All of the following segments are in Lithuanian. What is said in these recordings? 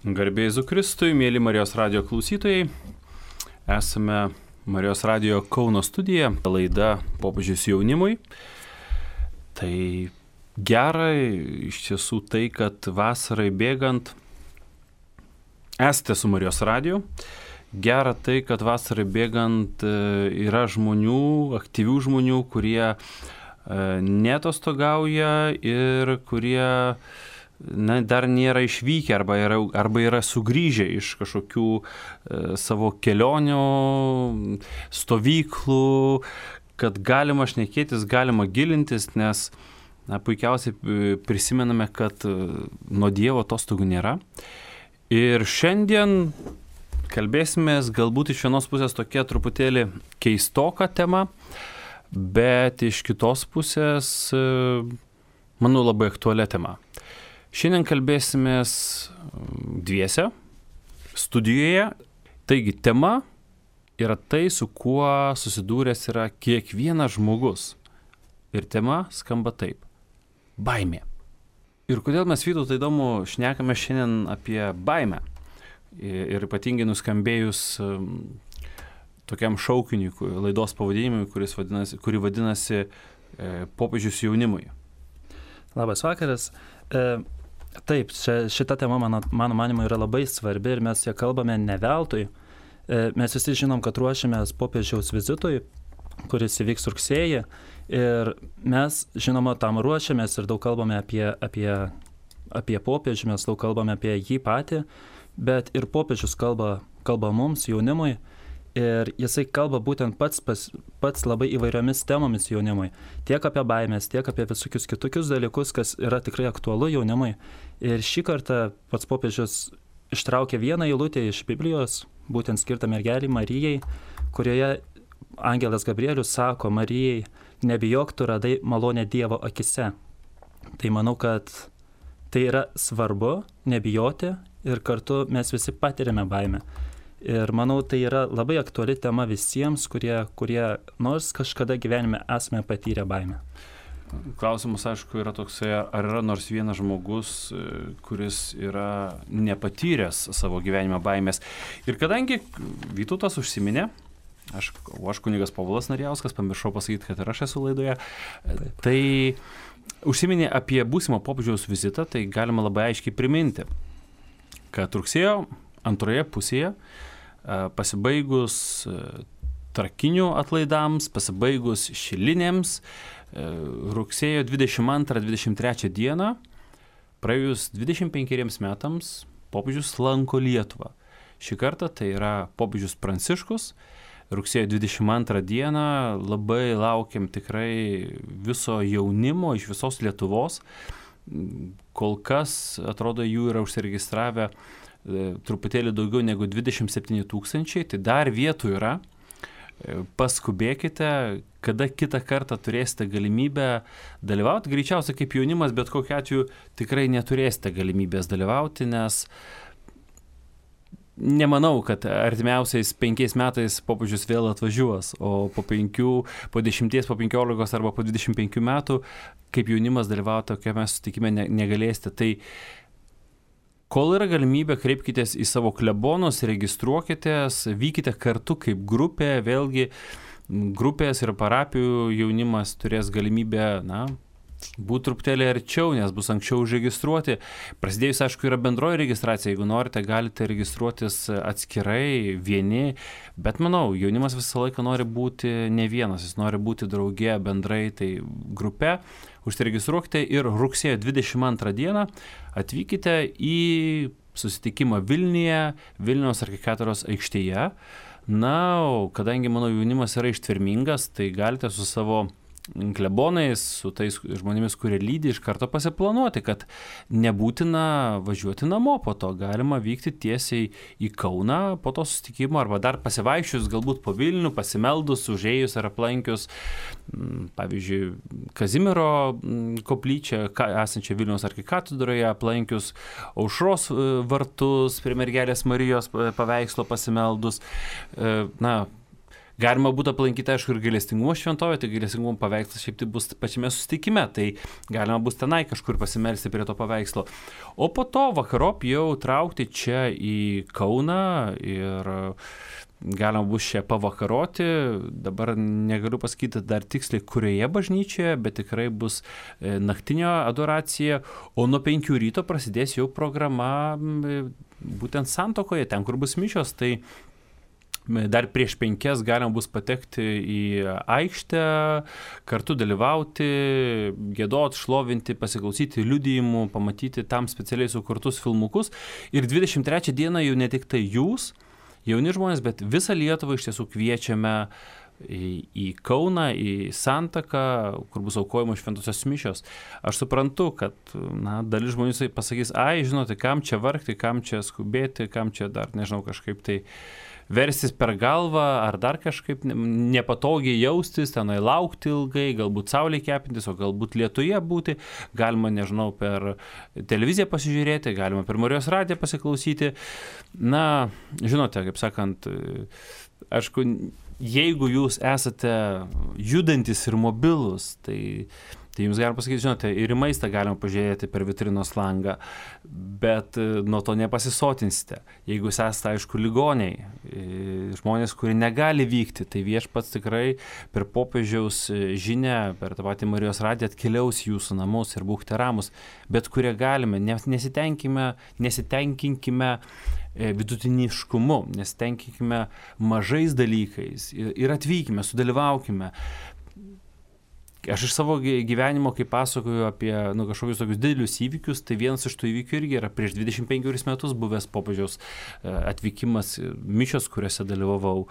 Garbė Jėzui Kristui, mėly Marijos radijo klausytojai, esame Marijos radijo Kauno studija, laida Popiežius jaunimui. Tai gerai iš tiesų tai, kad vasarai bėgant esate su Marijos radiju. Gera tai, kad vasarai bėgant yra žmonių, aktyvių žmonių, kurie neatostogauja ir kurie dar nėra išvykę arba yra sugrįžę iš kažkokių savo kelionių, stovyklų, kad galima šnekėtis, galima gilintis, nes puikiausiai prisimename, kad nuo Dievo atostogų nėra. Ir šiandien kalbėsimės galbūt iš vienos pusės tokia truputėlį keistoka tema, bet iš kitos pusės, manau, labai aktualia tema. Šiandien kalbėsimės dviese, studijoje. Taigi, tema yra tai, su kuo susidūręs yra kiekvienas žmogus. Ir tema skamba taip – baimė. Ir kodėl mes, Vytautai, įdomu, šnekame šiandien apie baimę. Ir ypatingai nuskambėjus tokiam šaukiniui, laidos pavadinimui, kuri vadinasi Popiežius jaunimui. Labas vakaras. Taip, šita tema mano manymu yra labai svarbi ir mes ją kalbame ne veltui. Mes visi žinom, kad ruošiamės popiežiaus vizitui, kuris įvyks rugsėjį. Ir mes, žinoma, tam ruošiamės ir daug kalbame apie popiežių, mes daug kalbame apie jį patį, bet ir popiežius kalba mums, jaunimui. Ir jisai kalba būtent pats labai įvairiomis temomis jaunimui. Tiek apie baimės, tiek apie visokius kitokius dalykus, kas yra tikrai aktualu jaunimui. Ir šį kartą pats popiežius ištraukė vieną eilutę iš Biblijos, būtent skirtą mergelei Marijai, kurioje angelas Gabrielius sako Marijai, nebijok, tu radai malonę Dievo akise. Tai manau, kad tai yra svarbu, nebijoti ir kartu mes visi patiriame baimę. Ir manau, tai yra labai aktuali tema visiems, kurie nors kažkada gyvenime esame patyrę baimę. Klausimas, aišku, yra toksai, ar yra nors vienas žmogus, kuris yra nepatyręs savo gyvenime baimės. Ir kadangi Vytautas užsiminė, aš kunigas Povilas Narjauskas, pamiršau pasakyti, kad ir aš esu laidoje, tai užsiminė apie būsimą popiežiaus vizitą, tai galima labai aiškiai priminti, kad rugsėjo antroje pusėje, pasibaigus trakinių atlaidams, pasibaigus šilinėms, rugsėjo 22-23 dieną, praėjus 25 metams, popiežius lanko Lietuvą. Šį kartą tai yra popiežius Pranciškus. Rugsėjo 22 dieną labai laukiam tikrai viso jaunimo iš visos Lietuvos. Kol kas, atrodo, jų yra užsiregistravę truputėlį daugiau negu 27 000, tai dar vietų yra. Paskubėkite, kada kitą kartą turėsite galimybę dalyvauti. Greičiausiai kaip jaunimas, bet kokiu atveju tikrai neturėsite galimybės dalyvauti, nes nemanau, kad artimiausiais 5 metais popiežius vėl atvažiuos, o po 5, po 10, po 15 arba po 25 metų kaip jaunimas dalyvauti tokiame susitikime negalėsite. Tai kol yra galimybė, kreipkitės į savo klebonus, registruokitės, vykite kartu kaip grupė, vėlgi grupės ir parapijų jaunimas turės galimybę, būti truputėlį arčiau, nes bus anksčiau užregistruoti. Prasidėjus, aišku, yra bendroji registracija, jeigu norite, galite registruotis atskirai, vieni, bet manau, jaunimas visą laiką nori būti ne vienas, jis nori būti drauge bendrai, tai grupe. Užsiregistruokite ir rugsėjo 22 dieną atvykite į susitikimą Vilniuje, Vilniaus arkikatedros aikštėje. O kadangi mano jaunimas yra ištvermingas, tai galite su savo klebonais, su tais žmonėmis, kurie lydi, iš karto pasiplanuoti, kad nebūtina važiuoti namo po to, galima vykti tiesiai į Kauną po to susitikimo, arba dar pasivaikščius galbūt po Vilnių, pasimeldus, užėjus ar aplankius, pavyzdžiui, Kazimiero koplyčią, esančią Vilniaus arkikatedroje, aplankius Aušros vartus, prie mergelės Marijos paveikslo pasimeldus, Galima būtų aplankyti, aišku, ir gailestingumo šventovę, tai gailestingumo paveikslas šiaip tai bus pačiame susitikime, tai galima bus tenai kažkur pasimelsti prie to paveikslo. O po to vakarop jau traukti čia į Kauną ir galima bus čia pavakaroti. Dabar negaliu pasakyti dar tiksliai, kurioje bažnyčioje, bet tikrai bus naktinio adoracija, o nuo 5 ryto prasidės jau programa būtent Santuokoje, ten, kur bus mišios, tai dar prieš 5 galima bus patekti į aikštę, kartu dalyvauti, giedoti, šlovinti, pasiklausyti liudijimų, pamatyti tam specialiai sukurtus filmukus. Ir 23 dieną jau ne tik tai jūs, jauni žmonės, bet visą Lietuvą iš tiesų kviečiame į Kauną, į Santaką, kur bus aukojamos šventosios mišios. Aš suprantu, kad dalis žmonių pasakys, žinote, kam čia vargti, kam čia skubėti, kam čia dar, nežinau, kažkaip tai versis per galvą, ar dar kažkaip nepatogiai jaustis, tenai laukti ilgai, galbūt saulė kepintis, o galbūt lietuje būti, galima, nežinau, per televiziją pasižiūrėti, galima per Marijos radiją pasiklausyti. Na, žinote, kaip sakant, aišku, jeigu jūs esate judantis ir mobilus, tai jums galima pasakyti, žinote, ir į maistą galima pažiūrėti per vitrinos langą, bet nuo to nepasisotinsite. Jeigu jūs esate, aišku, ligoniai, žmonės, kurie negali vykti, tai Viešpats tikrai per popiežiaus žinią, per tą patį Marijos radiją atkeliaus jūsų namus ir būkite ramus, bet kurie galime, nesitenkinkime vidutiniškumu, nesitenkinkime mažais dalykais ir atvykime, sudalyvaukime. Aš iš savo gyvenimo, kai pasakoju apie kažkokius tokius didelius įvykius, tai vienas iš tų įvykių irgi yra prieš 25 metus buvęs popiežiaus atvykimas, mišios, kuriuose dalyvavau,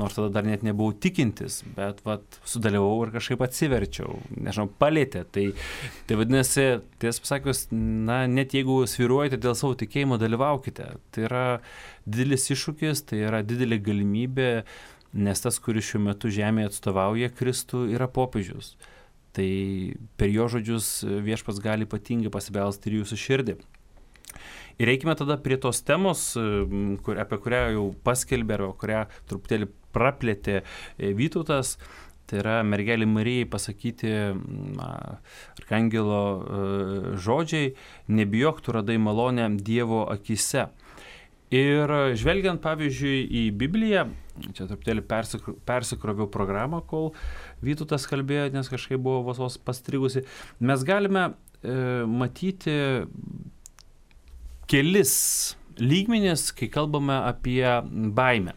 nors tada dar net nebuvau tikintis, bet sudalyvavau ir kažkaip atsiverčiau, nežinau, palėtė. Tai vadinasi, tiesą pasakius, net jeigu svyruojate dėl savo tikėjimo, dalyvaukite. Tai yra didelis iššūkis, tai yra didelė galimybė, nes tas, kuris šiuo metu žemėje atstovauja Kristų, yra popiežius. Tai per jo žodžius Viešpats gali ypatingai pasibelsti ir jūsų širdį. Ir reikime tada prie tos temos, apie kurią jau paskelbė, arba kurią truputėlį praplėtė Vytautas. Tai yra mergelei Marijai pasakyti arkangelo žodžiai: nebijok, tu radai malonę Dievo akise. Ir žvelgiant, pavyzdžiui, į Bibliją, čia truputėlį persikroviau programą, kol Vytautas kalbėjo, nes kažkaip buvo vos pastrigusi, mes galime matyti kelis lygmenis, kai kalbame apie baimę.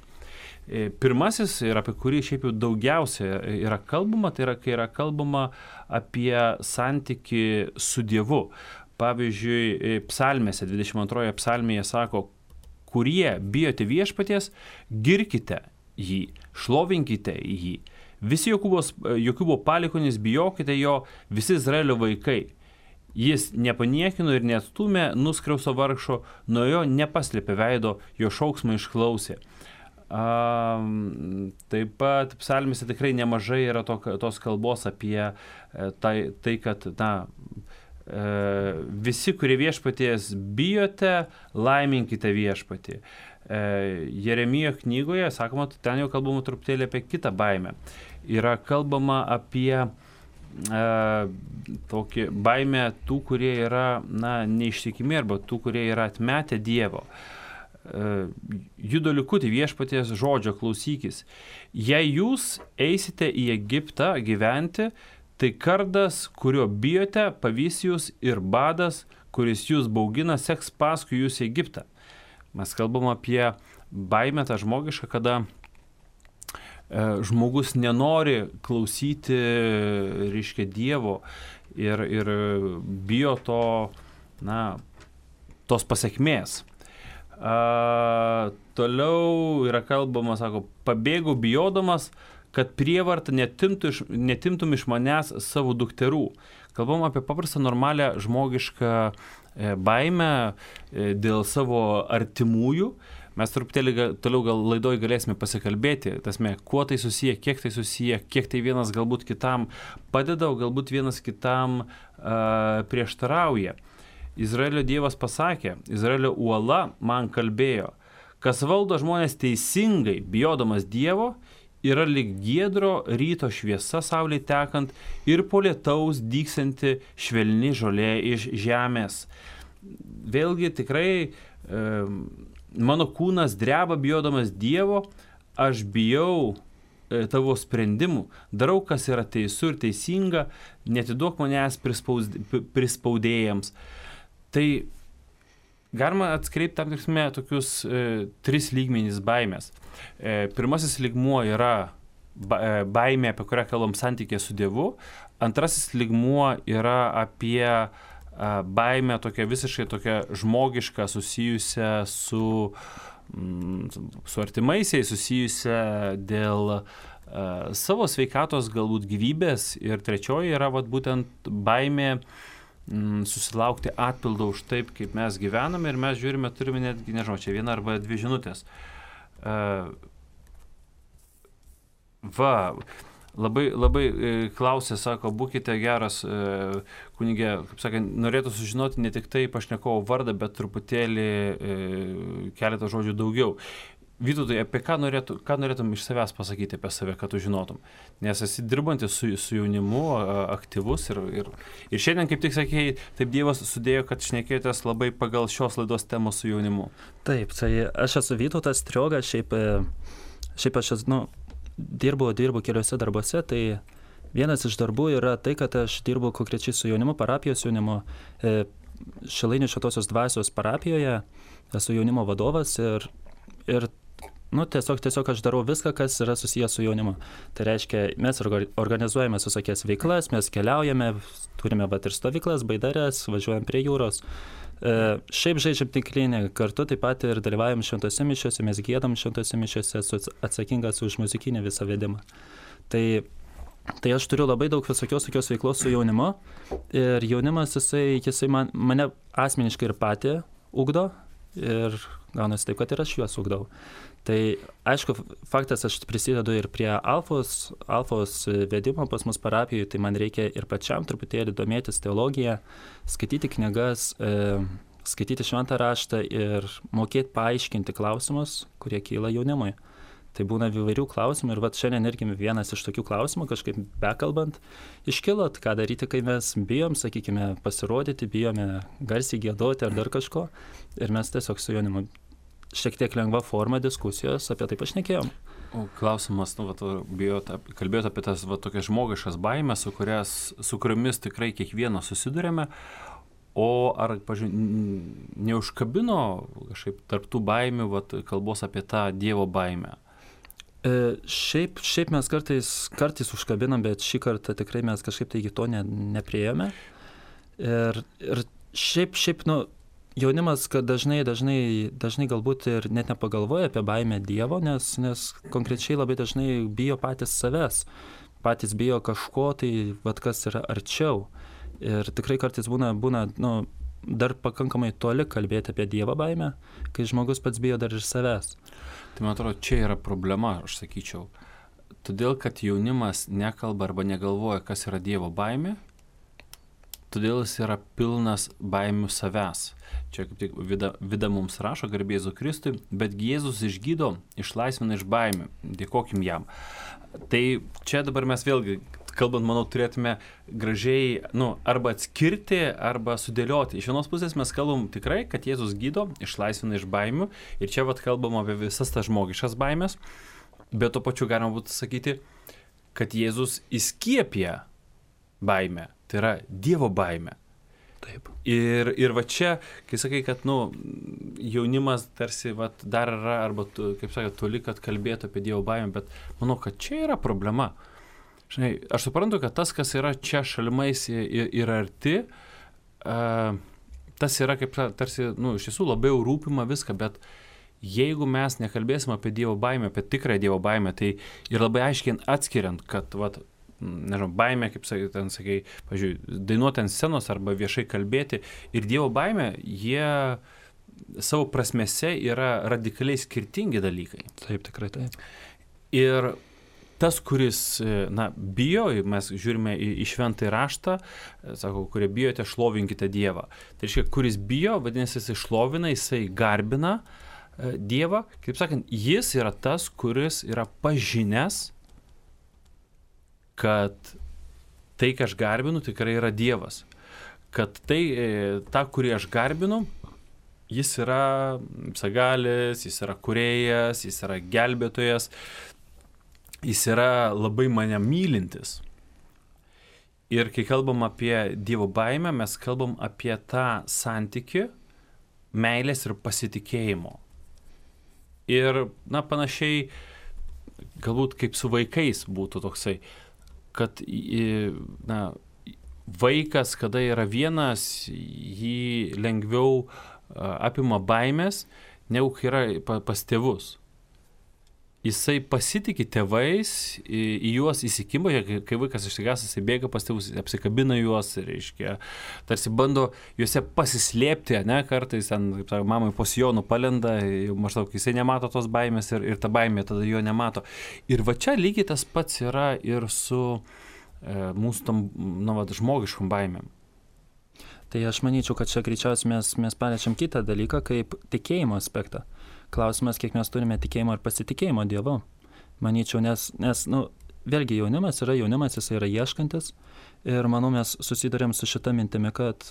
Pirmasis, ir apie kurį šiaip jau daugiausia yra kalbama, tai yra, kai yra kalbama apie santykį su Dievu. Pavyzdžiui, psalmėse, 22 psalmėje sako: kurie bijote Viešpaties, girkite jį, šlovinkite jį. Visi Jokūbo palikuonys, bijokite jo, visi Izraelio vaikai. Jis nepaniekino ir neatstūmė nuskriausto vargšo, nuo jo nepaslėpė veido, jo šauksmą išklausė. Taip pat psalmėse tikrai nemažai yra tos kalbos apie tai kad visi, kurie Viešpaties bijote, laiminkite Viešpatį. Jeremijo knygoje, sakoma, ten jau kalbama truputėlį apie kitą baimę. Yra kalbama apie tokį baimę tų, kurie yra neištikimi, arba tų, kurie yra atmetę Dievo. Judo likutį, Viešpaties žodžio klausykis. Jei jūs eisite į Egiptą gyventi, tai kardas, kurio bijote, pavys jūs, ir badas, kuris jūs baugina, seks paskui jūs į Egiptą. Mes kalbam apie baimę tą žmogišką, kada žmogus nenori klausyti, reiškia, Dievo ir bijo tos pasekmės. Toliau yra kalbama, sako, pabėgau bijodamas, kad prievarta netimtum iš manęs savo dukterų. Kalbam apie paprastą normalią žmogišką baimę dėl savo artimųjų. Mes truputėlį toliau gal laidoj galėsime pasikalbėti, kuo tai susiję, kiek tai vienas galbūt kitam padeda, o galbūt vienas kitam prieštarauja. Izraelio Dievas pasakė, Izraelio uola man kalbėjo: kas valdo žmonės teisingai, bijodamas Dievo, yra lyg giedro ryto šviesa saulė tekant ir po lietaus dygsianti švelni žolė iš žemės. Vėlgi tikrai mano kūnas dreba bijodamas Dievo, aš bijau tavo sprendimų, darau, kas yra teisų ir teisinga, netiduok manęs prispaudėjams. Tai galima atskreipti tam tiksme tokius 3 lygmenys baimės. Pirmasis lygmuo yra baimė, apie kurią kalbam santykė su Dievu. Antrasis lygmuo yra apie baimę tokia visiškai tokia žmogiška, susijusią su artimaisiais, susijusią dėl savo sveikatos, galbūt gyvybės. Ir trečioji yra būtent baimė susilaukti atpildo už taip, kaip mes gyvename, ir mes žiūrime, turime netgi, nežinau, čia 1 arba 2 žinutės. Labai klausė, sako, būkite geras kunigė, kaip sakant, norėtų sužinoti ne tik tai pašnekovo vardą, bet truputėlį keletą žodžių daugiau. Vytautai, apie ką norėtum iš savęs pasakyti apie save, kad tu žinotum? Nes esi dirbantis su jaunimu, aktyvus ir šiandien, kaip tik sakėjai, taip Dievas sudėjo, kad šnekėjotės labai pagal šios laidos temos su jaunimu. Taip, tai aš esu Vytautas Strioga, šiaip aš dirbu keliuose darbuose, tai vienas iš darbų yra tai, kad aš dirbu konkrečiai su jaunimu, parapijos jaunimu, Šilainių Šventosios Dvasios parapijoje, esu jaunimo vadovas ir tiesiog aš darau viską, kas yra susijęs su jaunimu. Tai reiškia, mes organizuojame visokias veiklas, mes keliaujame, turime ir stovyklas, baidares, važiuojam prie jūros. Šiaip žaidžiam tinklinį, kartu taip pat ir dalyvaujam šventose mišiuose, mes giedam šventose mišiuose, esu atsakingas už muzikinį visą vedimą. Tai aš turiu labai daug visokios veiklos su jaunimu ir jaunimas jisai mane asmeniškai ir patį ugdo ir gaunasi taip, kad ir aš juos ugdau. Tai aišku, faktas, aš prisidedu ir prie alfos vedimo pas mus parapijoje, tai man reikia ir pačiam truputėlį domėtis teologiją, skaityti knygas, skaityti šventą raštą ir mokėti paaiškinti klausimus, kurie kyla jaunimui. Tai būna įvairių klausimų ir šiandien irgi vienas iš tokių klausimų, kažkaip bekalbant, iškilo, ką daryti, kai mes bijom, sakykime, pasirodyti, bijome garsiai giedoti ar dar kažko. Ir mes tiesiog su jaunimu šiek tiek lengva forma diskusijos apie tai pašnekėjom. O klausimas, kalbėjot apie tas tokias žmogiškas baimės, su kuriomis tikrai kiekvieno susidurėme. O ar, neužkabino kažkaip tarptų baimių kalbos apie tą Dievo baimę? Šiaip mes kartais užkabinam, bet šį kartą tikrai mes kažkaip tai iki to nepriėjome. Ir šiaip jaunimas, kad dažnai galbūt ir net nepagalvoja apie baimę Dievo, nes konkrečiai labai dažnai bijo patys savęs, patys bijo kažko, tai kas yra arčiau. Ir tikrai kartais būna dar pakankamai toli kalbėti apie Dievo baimę, kai žmogus pats bijo dar ir savęs. Tai man atrodo, čia yra problema, aš sakyčiau. Todėl, kad jaunimas nekalba arba negalvoja, kas yra Dievo baimė, todėl jis yra pilnas baimių savęs. Čia kaip tik Vida mums rašo, garbė Jėzui Kristui, bet Jėzus išgydo, išlaisvina iš baimių. Dėkokim jam. Tai čia dabar mes vėlgi, kalbant, manau, turėtume gražiai, arba atskirti, arba sudėlioti. Iš vienos pusės mes kalbam tikrai, kad Jėzus gydo, išlaisvina iš baimių. Ir čia kalbam apie visas tas žmogiškas baimės. Bet to pačiu galima būtų sakyti, kad Jėzus įskiepia baimę. Tai yra Dievo baimė. Taip. Ir čia, kai sakai, kad jaunimas tarsi dar yra, arba, kaip sakė, toli, kad kalbėtų apie Dievo baimę, bet manau, kad čia yra problema. Žinai, aš suprantu, kad tas, kas yra čia šalimais ir arti, tas yra kaip tarsi, iš tiesų labiau rūpima viską, bet jeigu mes nekalbėsim apie Dievo baimę, apie tikrą Dievo baimę, tai ir labai aiškiai atskiriant, kad, nežinau, baimė, kaip sakai, pavyzdžiui, dainuoti ant scenos arba viešai kalbėti, ir Dievo baimė, jie savo prasmėse yra radikaliai skirtingi dalykai. Taip, tikrai taip. Ir tas, kuris, bijo, mes žiūrime į šventąjį raštą, sako, kurie bijote, šlovinkite Dievą. Tai reiškia, kuris bijo, vadinasi, jisai šlovina, jisai garbina Dievą. Kaip sakant, jis yra tas, kuris yra pažinęs kad tai, ką aš garbinu, tikrai yra Dievas. Kad tai, tą, kurį aš garbinu, jis yra visagalis, jis yra kūrėjas, jis yra gelbėtojas, jis yra labai mane mylintis. Ir kai kalbam apie Dievo baimę, mes kalbam apie tą santykį meilės ir pasitikėjimo. Ir, panašiai, galbūt kaip su vaikais būtų toksai, kad, vaikas, kada yra vienas, jį lengviau apima baimės, negu kai yra pas tėvus. Jisai pasitikė tėvais, į juos įsikimba, kai vaikas išsigąs, jisai bėga pas tėvus, apsikabina juos, reiškia, tarsi bando juose pasislėpti, kartais ten, kaip sakė, mamai po sijonu palenda, maždaug jisai nemato tos baimės ir ta baimė tada jo nemato. Ir va čia lygiai tas pats yra ir su mūsų tam, žmogiškom baimėm. Tai aš manyčiau, kad čia greičiausiai mes paliečiam kitą dalyką, kaip tikėjimo aspektą. Klausimas, kiek mes turime tikėjimo ir pasitikėjimo Dievu. Manyčiau, nes vėlgi jaunimas, jis yra ieškantis ir manau, mes susidurėm su šita mintimi, kad,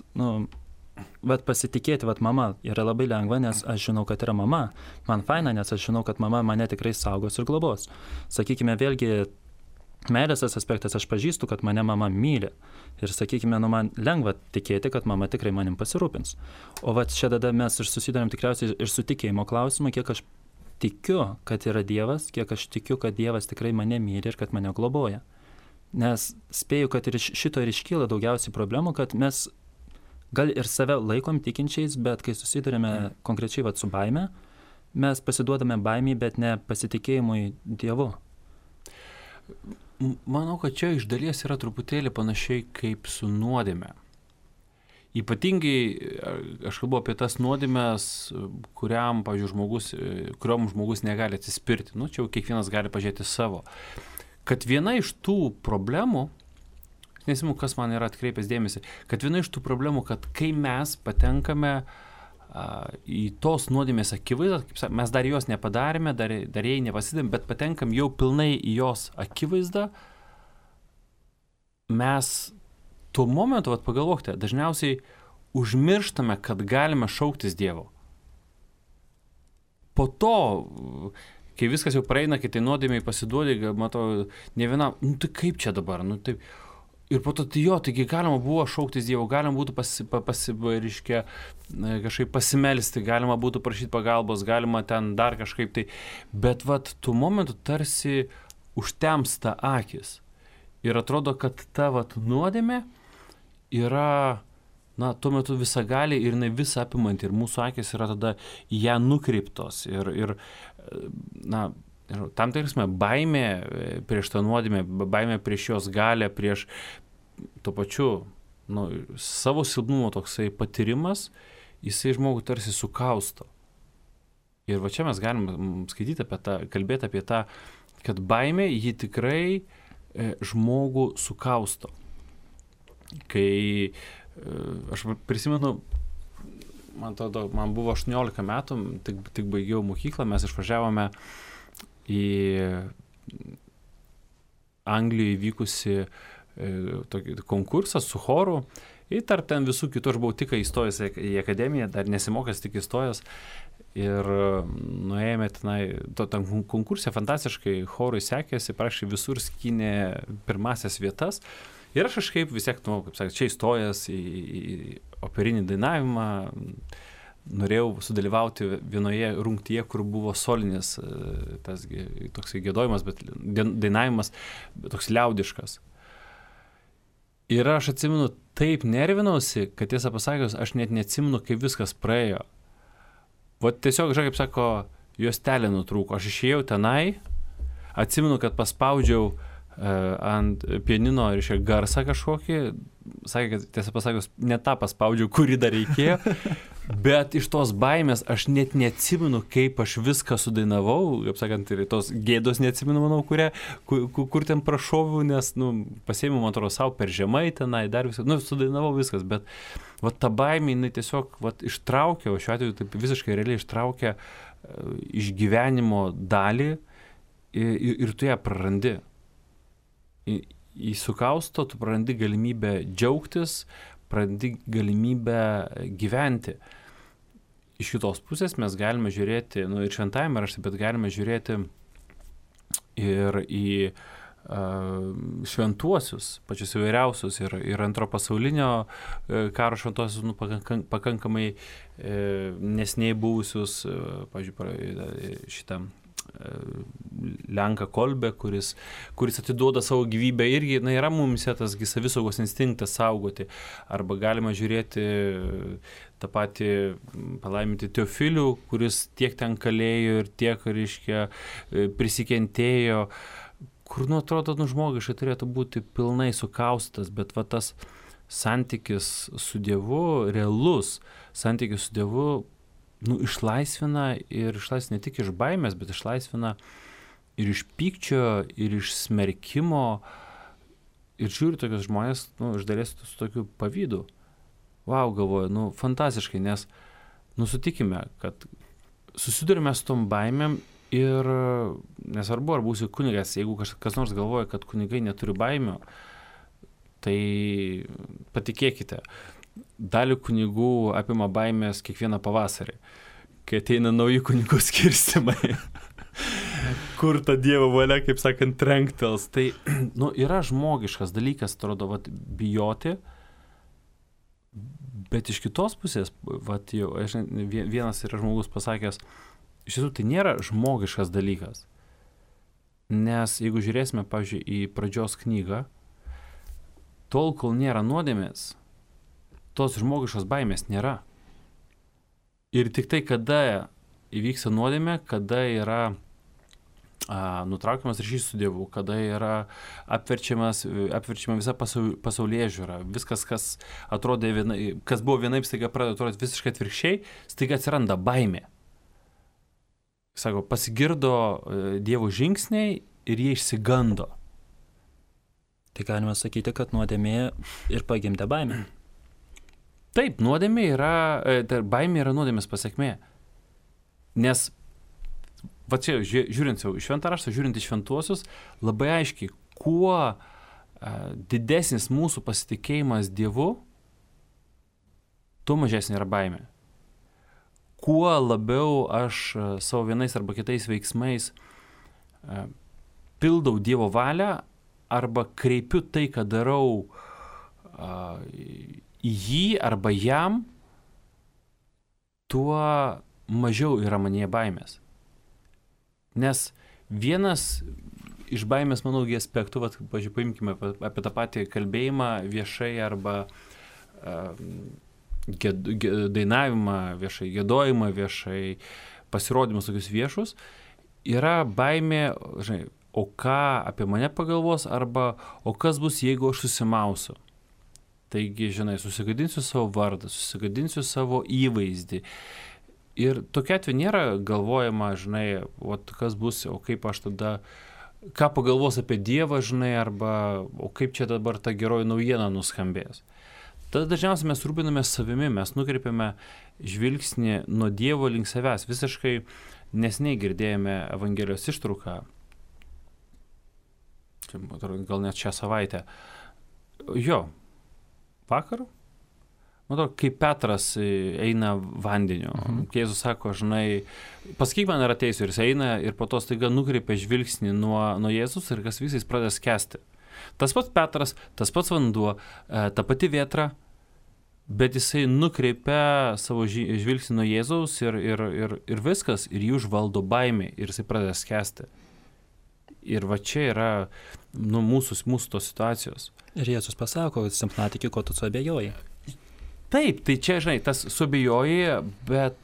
pasitikėti, mama yra labai lengva, nes aš žinau, kad yra mama. Man faina, nes aš žinau, kad mama mane tikrai saugos ir globos. Sakykime, vėlgi, meilės tas aspektas, aš pažįstu, kad mane mama myli. Ir sakykime, man lengva tikėti, kad mama tikrai manim pasirūpins. O čia tada mes ir susidarėm tikriausiai ir su tikėjimo klausimu, kiek aš tikiu, kad yra Dievas, kiek aš tikiu, kad Dievas tikrai mane myli ir kad mane globoja. Nes spėju, kad ir šito ir iškyla daugiausiai problemų, kad mes gal ir save laikom tikinčiais, bet kai susidurėme konkrečiai su baime, mes pasiduodame baimiai, bet ne pasitikėjimui Dievu. Manau, kad čia iš dalies yra truputėlį panašiai kaip su nuodėme. Ypatingai aš kalbu apie tas nuodėmes, kuriom žmogus negali atsispirti. Čia jau kiekvienas gali pažiūrėti savo. Kad viena iš tų problemų, nesimenu, kas man yra atkreipęs dėmesį, kad viena iš tų problemų, kad kai mes patenkame į tos nuodėmės akivaizdą, mes dar jos nepadarėme, dar jai nepasidėm, bet patenkam jau pilnai į jos akivaizdą, mes tuo momentu, pagalvokite, dažniausiai užmirštame, kad galime šauktis Dievo. Po to, kai viskas jau praeina, kai tai nuodėmiai pasiduodi, matau, ne vienam, tai kaip čia dabar, taip. Ir po to, taigi galima buvo šauktis Dievo, galima būtų kažkaip pasimelsti, galima būtų prašyti pagalbos, galima ten dar kažkaip tai. Bet tų momentų tarsi užtemsta akis. Ir atrodo, kad ta nuodėmė yra, tuo metu visagali ir jinai visą apimanti. Ir mūsų akis yra tada į ją nukreiptos. Ir tam tikrasme baimė prieš tą nuodėmę, baimė prieš jos galę, prieš tuo pačiu savo silpnumo toksai patyrimas, jisai žmogų tarsi sukausto. Ir va čia mes galim skaityti kalbėti apie tą, kad baimė jį tikrai žmogų sukausto. Kai aš prisimenu, man buvo 18 metų, tik baigiau mokyklą, mes išvažiavome į Anglijoje vykusi tokį konkursą su choru ir tarp ten visų kitų, aš buvau tik įstojęs į akademiją, dar nesimokęs, tik įstojęs ir nuėjome tenai, tam konkurse fantastiškai chorui sekėsi, prašė visur skynė pirmasias vietas ir aš kažkaip vis tiek, kaip sakė, čia įstojęs į operinį dainavimą, norėjau sudalyvauti vienoje rungtyje, kur buvo solinis tas toksai giedojimas, bet dainavimas toks liaudiškas. Ir aš atsimenu, taip nervinausi, kad tiesą pasakius, aš net neatsimenu, kaip viskas praėjo. Tiesiog, kaip sako, juostelė nutrūko. Aš išėjau tenai, atsimenu, kad paspaudžiau ant pianino, reiškia, garsą kažkokį, sakė, kad tiesą pasakius, ne tą paspaudžiau, kurį dar reikėjo, bet iš tos baimės aš net neatsimenu, kaip aš viską sudainavau, kaip sakant, ir tos gėdos neatsimenu, manau, kur ten prašoviau, nes, pasėmiau, man atrodo, savo per žemai tenai, dar viską, sudainavau viskas, bet ta baimė, jinai tiesiog ištraukė, o šiuo atveju taip visiškai realiai ištraukė iš gyvenimo dalį ir tu ją prarandi. įsukausto, tu prarandi galimybę džiaugtis, prarandi galimybę gyventi. Iš kitos pusės mes galime žiūrėti, ir šventajame rašte, bet galime žiūrėti ir į šventuosius, pačius įvairiausius, ir antro pasaulinio karo šventuosius, pakankamai neseniai buvusius, pavyzdžiui, šitam Lenką Kolbę, kuris atiduoda savo gyvybę, irgi yra mumise tas savisaugos instinktas saugoti. Arba galima žiūrėti tą patį palaiminti Teofilių, kuris tiek ten kalėjo ir tiek, reiškia, prisikentėjo, kur, atrodo, žmogiškai turėtų būti pilnai sukaustas, bet va tas santykis su Dievu, realus santykis su Dievu, išlaisvina ne tik iš baimės, bet išlaisvina ir iš pykčio, ir iš smerkimo. Ir žiūri tokius žmonės, iš dalies su tokiu pavydu. Vau, galvoju, fantastiškai, nes, sutikime, kad susidurime su tom baimėm ir nesvarbu, ar būsiu kunigas, jeigu kas nors galvoja, kad kunigai neturi baimių, tai patikėkite, dalį kunigų apima baimės kiekvieną pavasarį, kai ateina nauji kunigų skirstimai, kur ta Dievo valia, kaip sakant, trenktels. Tai yra žmogiškas dalykas, atrodo, bijoti, bet iš kitos pusės, vienas yra žmogus pasakęs, iš tiesų tai nėra žmogiškas dalykas, nes jeigu žiūrėsime, pavyzdžiui, į pradžios knygą, tol, kol nėra nuodėmės, tos žmogiškos baimės nėra. Ir tik tai, kada įvyksta nuodėmė, kada yra nutraukiamas ryšys su Dievu, kada yra apverčiama visa pasaulėžiūra, viskas, kas atrodė kas buvo vienaip, staiga pradeda atrodyti visiškai atvirkščiai, staiga atsiranda baimė. Sako, pasigirdo Dievo žingsniai ir jie išsigando. Tai galima sakyti, kad nuodėmė ir pagimdė baimę. Taip, baimė yra nuodėmės pasekmė. Nes, čia žiūrint į šventą raštą, žiūrint į šventuosius, labai aiškiai, kuo didesnis mūsų pasitikėjimas Dievu, tuo mažesnė yra baimė. Kuo labiau aš savo vienais arba kitais veiksmais pildau Dievo valią arba kreipiu tai, ką darau į jį arba jam, tuo mažiau yra manyje baimės. Nes vienas iš baimės, manau, aspektų, paimkime apie tą patį kalbėjimą viešai arba dainavimą viešai, giedojimą viešai, pasirodymus tokius viešus, yra baimė, o ką apie mane pagalvos, arba o kas bus, jeigu aš susimausiu. Taigi, susigadinsiu savo vardą, susigadinsiu savo įvaizdį. Ir tokia atveju nėra galvojama, kas bus, o kaip aš tada, ką pagalvos apie Dievą, arba o kaip čia dabar ta geroji naujiena nuskambės. Tada dažniausiai mes rūpinamės savimi, mes nukreipiame žvilgsnį nuo Dievo link savęs. Visiškai neseniai girdėjome Evangelijos ištrauką, gal net šią savaitę. Vakar, kaip Petras eina vandeniu. Jėzus sako, pasakyk man, ar ateisiu, ir jis eina ir po to staiga nukreipia žvilgsnį nuo Jėzus ir kas visais pradeda skęsti. Tas pats Petras, tas pats vanduo, ta pati vėtra, bet jisai nukreipia savo žvilgsnį nuo Jėzaus ir viskas, ir jį užvaldo baimė ir jisai pradeda skęsti. Ir čia yra mūsų tos situacijos. Ir Jėzus pasako, silpnatikį, ko tu suabejoji. Taip, tai čia, tas suabejoji, bet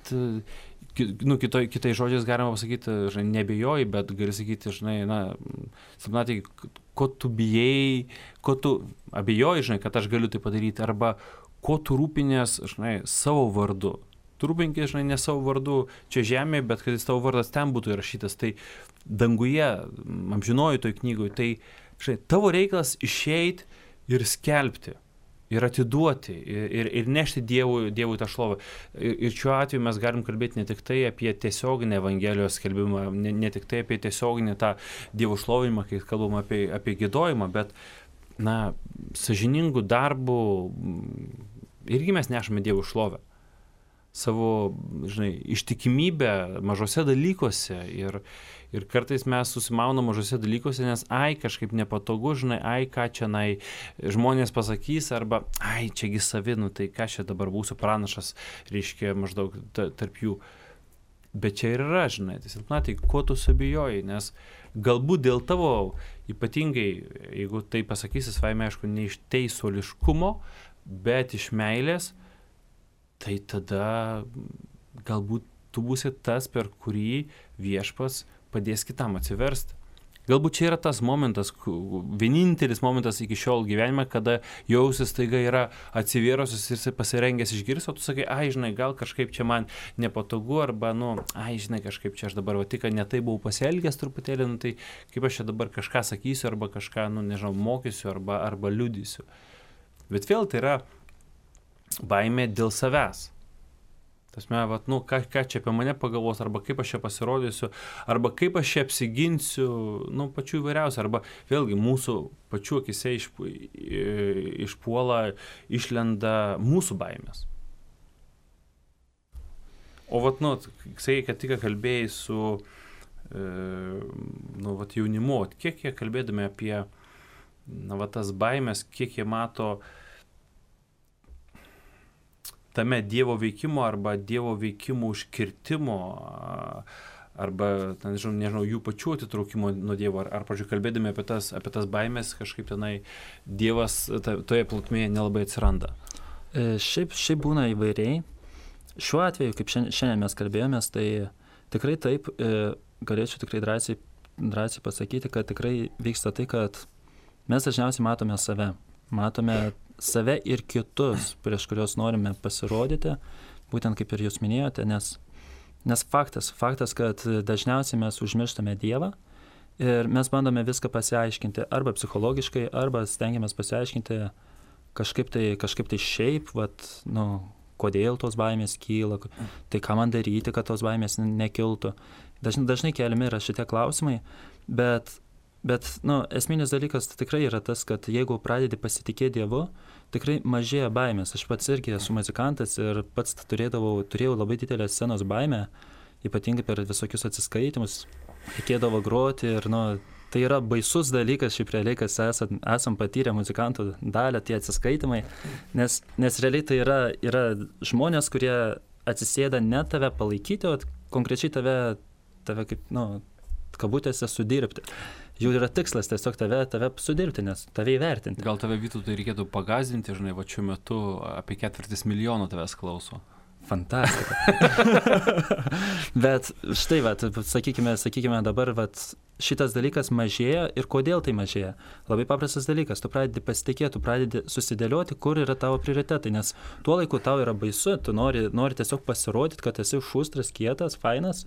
kitais žodžiais galima pasakyti, nebejoji, bet gali sakyti, silpnatikį, ko tu bijai, ko tu abejoji, kad aš galiu tai padaryti, arba ko tu rūpinės, savo vardu. Tu rūpinkis, ne savo vardu čia žemėje, bet kad jis tavo vardas ten būtų įrašytas. Tai danguje, amžinoji toj knygoje, tai tavo reikalas išeiti ir skelbti, ir atiduoti, ir nešti Dievui tą šlovę. Ir šiuo atveju mes galim kalbėti ne tik tai apie tiesioginę Evangelijos skelbimą, ne tik tai apie tiesioginį tą Dievo šlovinimą, kai kalbam apie giedojimą, bet sąžiningų darbų irgi mes nešame Dievui šlovę. Savo, ištikimybę mažose dalykuose ir kartais mes susimaunam mažose dalykuose, nes kažkaip nepatogu, ką čia žmonės pasakys, arba čiagi savi, tai ką čia dabar būsiu pranašas, reiškia maždaug tarp jų. Bet čia ir yra, tai ko tu subijoji, nes galbūt dėl tavo, ypatingai, jeigu tai pasakysi, savaime aišku, ne iš teisuoliškumo, bet iš meilės, tai tada galbūt tu būsi tas, per kurį Viešpats padės kitam atsiversti. Galbūt čia yra tas momentas, vienintelis momentas iki šiol gyvenime, kada jausis taiga yra atsivėrusius ir jisai pasirengęs išgirsti, o tu sakai, gal kažkaip čia man nepatogu, arba, kažkaip čia aš dabar tik ne tai buvau pasielgęs truputėlį, tai kaip aš čia dabar kažką sakysiu, arba kažką, mokysiu, arba liudysiu. Bet vėl tai yra baimė dėl savęs. Tasme, ką čia apie mane pagalvos, arba kaip aš čia pasirodysiu, arba kaip aš čia apsiginsiu, pačių įvairiausių, arba vėlgi mūsų pačių akise išpuola, išlenda mūsų baimės. O sakai, kad tik kalbėjai su jaunimu, kiek jie kalbėdami apie tas baimės, kiek jie mato tame Dievo veikimo arba Dievo veikimo užkirtimo arba, nežinau, jų pačių atitraukimo nuo Dievo, ar pavyzdžiui, kalbėdami apie tas baimės, kažkaip Dievas toje plotmėje nelabai atsiranda. Šiaip būna įvairiai. Šiuo atveju, kaip šiandien mes kalbėjomės, tai tikrai taip, galėčiau tikrai drąsiai pasakyti, kad tikrai vyksta tai, kad mes dažniausiai matome save ir kitus, prieš kurios norime pasirodyti, būtent kaip ir jūs minėjote, nes faktas, kad dažniausiai mes užmirštame Dievą ir mes bandome viską pasiaiškinti arba psichologiškai, arba stengiamės pasiaiškinti kažkaip tai šiaip, kodėl tos baimės kyla, tai ką man daryti, kad tos baimės nekiltų. Dažnai keliami yra šitie klausimai, bet esminis dalykas tikrai yra tas, kad jeigu pradedi pasitikėti Dievu, tikrai mažėja baimės. Aš pats irgi esu muzikantas ir pats turėjau labai didelę scenos baimę, ypatingai per visokius atsiskaitimus, reikėdavo groti ir tai yra baisus dalykas, šiaip realiai, kas esam patyrę muzikantų dalį, tie atsiskaitimai, nes realiai tai yra žmonės, kurie atsisėda ne tave palaikyti, o konkrečiai tave kaip, kabutėse sudirbti. Jų yra tikslas tiesiog tave sudirbti, nes tave įvertinti. Gal tave, Vytautai, reikėtų pagazdinti, šiuo metu apie 4 milijonų tavęs klauso. Fantastika. Bet štai, sakykime dabar, šitas dalykas mažėja ir kodėl tai mažėja? Labai paprastas dalykas, tu pradedi pasitikėti, tu pradedi susidėlioti, kur yra tavo prioritetai, nes tuo laiku tau yra baisu, tu nori tiesiog pasirodyti, kad esi šustras, kietas, fainas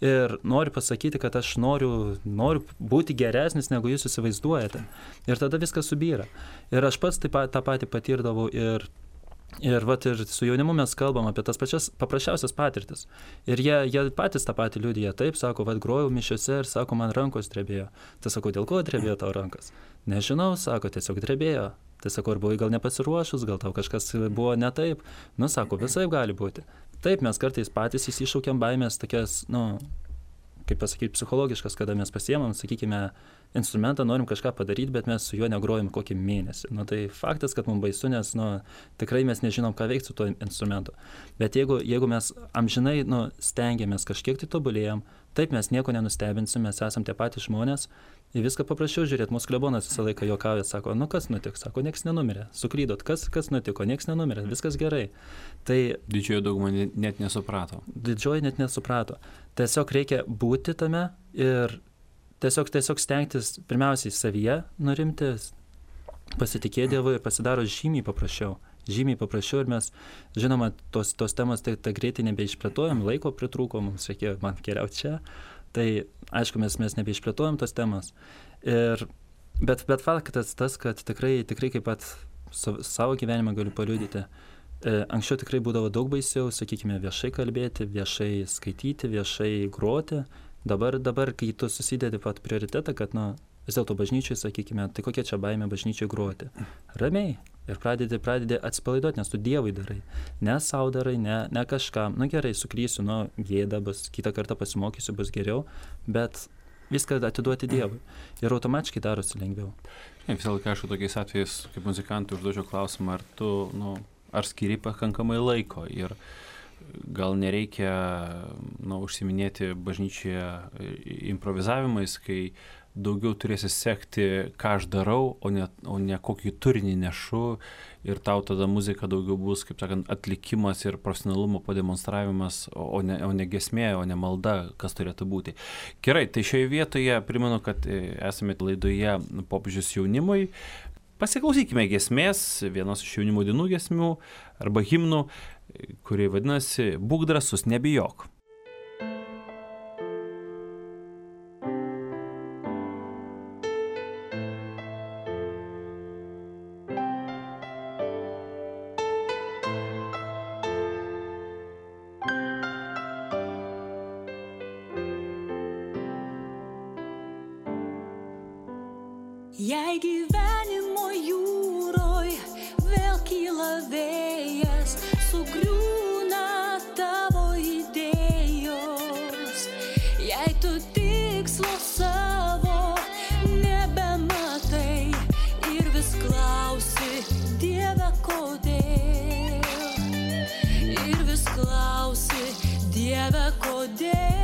ir nori pasakyti, kad aš noriu būti geresnis, negu jūs įsivaizduojate. Ir tada viskas subyra. Ir aš pats tą patį patirdavau ir su jaunimu mes kalbam apie tas pačias paprasčiausias patirtis. Ir jie patys tą patį liudija. Taip, sako, grojau mišiose ir sako, man rankos drebėjo. Tai sako, dėl ko drebėjo tau rankas? Nežinau, sako, tiesiog drebėjo. Tai sako, ar buvai gal nepasiruošus, gal tau kažkas buvo ne taip. Sako, visai gali būti. Taip, mes kartais patys įsišaukiam baimės tokias, kaip pasakyti, psichologiškas, kada mes pasiemam, sakykime, instrumentą, norim kažką padaryti, bet mes su juo negrojam kokį mėnesį. Tai faktas, kad mums baisu, nes tikrai mes nežinom, ką veikti su tuo instrumentu. Bet jeigu mes amžinai stengiamės kažkiek tai tobulėjam, taip mes nieko nenustebinsim, mes esam tie patys žmonės, į viską paprasčiau žiūrėti. Mūsų klebonas visą laiką juokauja, sako, kas nutiko, sako, nieks nenumirė, suklydot, kas nutiko, nieks nenumirė, viskas gerai. Tai didžioji dauguma net nesuprato. Tiesiog reikia būti tame ir tiesiog stengtis pirmiausiai savyje nurimti, pasitikėti Dievu ir pasidaro žymiai paprasčiau ir mes, žinoma, tos temos tai greitai nebeišplėtojam, laiko pritrūko, mums reikėjo man keliauti čia, tai aišku, mes nebeišplėtojam tos temos. Bet faktas tas, kad tikrai kaip pat savo gyvenimą galiu paliudyti. Anksčiau tikrai būdavo daug baisiau, sakykime, viešai kalbėti, viešai skaityti, viešai groti. Dabar, kai tu susidedi pat prioritetą, kad vis dėlto bažnyčiai, sakykime, tai kokia čia baimė bažnyčiai groti? Ramiai. Ir pradedi atsipalaiduoti, nes tu Dievui darai. Ne sau darai, ne kažkam. Gerai, suklysiu, gėda bus, kitą kartą pasimokysiu, bus geriau, bet viską atiduoti Dievui. Ir automatiškai darosi lengviau. Visą laiką, aišku, tokiais atvejais, kaip muzikantui užduočiau klausimą, ar tu, ar skiri pakankamai laiko ir gal nereikia, užsiminėti bažnyčioje improvizavimais, kai daugiau turėsi sekti, ką aš darau, o ne kokį turinį nešu ir tau tada muzika daugiau bus, kaip sakant, atlikimas ir profesionalumo pademonstravimas, o ne gesmė, o ne malda, kas turėtų būti. Gerai, tai šioje vietoje primenu, kad esame laidoje Popiežius jaunimui. Pasiklausykime gesmės, vienos iš jaunimo dienų gesmių arba himnų, kurie vadinasi Būk drąsus, nebijok. Jei gyvenimo jūroj vėl kyla vėjas, sugriūna tavo idėjos, jei tu tikslo savo nebematai ir vis klausi, Dieve, kodėl, ir vis klausi, Dieve, kodėl.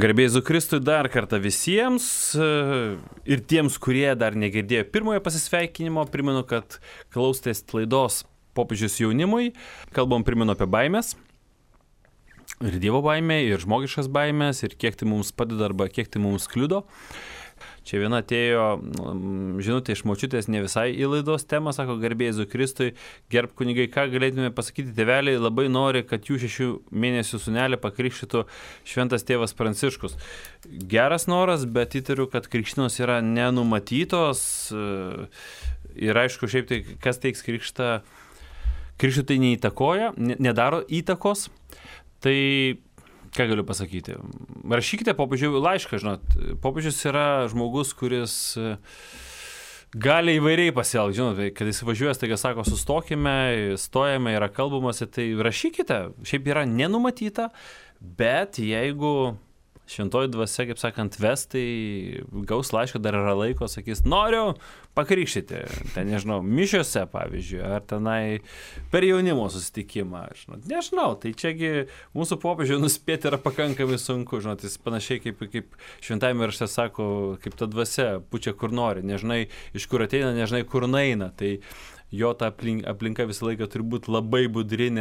Garbė Jėzui Kristui dar kartą visiems ir tiems, kurie dar negirdėjo pirmojo pasisveikinimo, primenu, kad klausėtės laidos Popiežius jaunimui. Kalbam, primenu apie baimės. Ir Dievo baimė, ir žmogiškas baimės, ir kiek tai mums padeda arba kiek tai mums kliudo. Čia viena atėjo žinutė iš močiutės ne visai į laidos temą, sako, garbė Jėzui Kristui, gerb kunigai, ką galėtume pasakyti, tėveliai labai nori, kad jų 6 mėnesių sūnelį pakrikštytų šventas tėvas Pranciškus. Geras noras, bet įtariu, kad krikštynos yra nenumatytos ir aišku, šiaip tai, kas teiks krikštą, krikštui tai neįtakoja, nedaro įtakos, tai ką galiu pasakyti? Rašykite popiežiui laišką, žinot. Popiežius yra žmogus, kuris gali įvairiai pasielgti, žinot, kad jis važiuoja, taigi sako, sustokime, stojame, yra kalbamasi, tai rašykite. Šiaip yra nenumatyta, bet jeigu šventoji dvasia, kaip sakant, ves, tai gaus laišką, dar yra laiko, sakys, noriu pakrikštyti, ten, nežinau, mišiose, pavyzdžiui, ar tenai per jaunimo susitikimą, nežinau, tai čiagi mūsų popiežiui nuspėti yra pakankamai sunku, žinot, jis panašiai kaip šventajame rašte sako, kaip ta dvasia pučia kur nori, nežinai iš kur ateina, nežinai kur naina, tai jo ta aplinka visą laiką turi būti labai budri,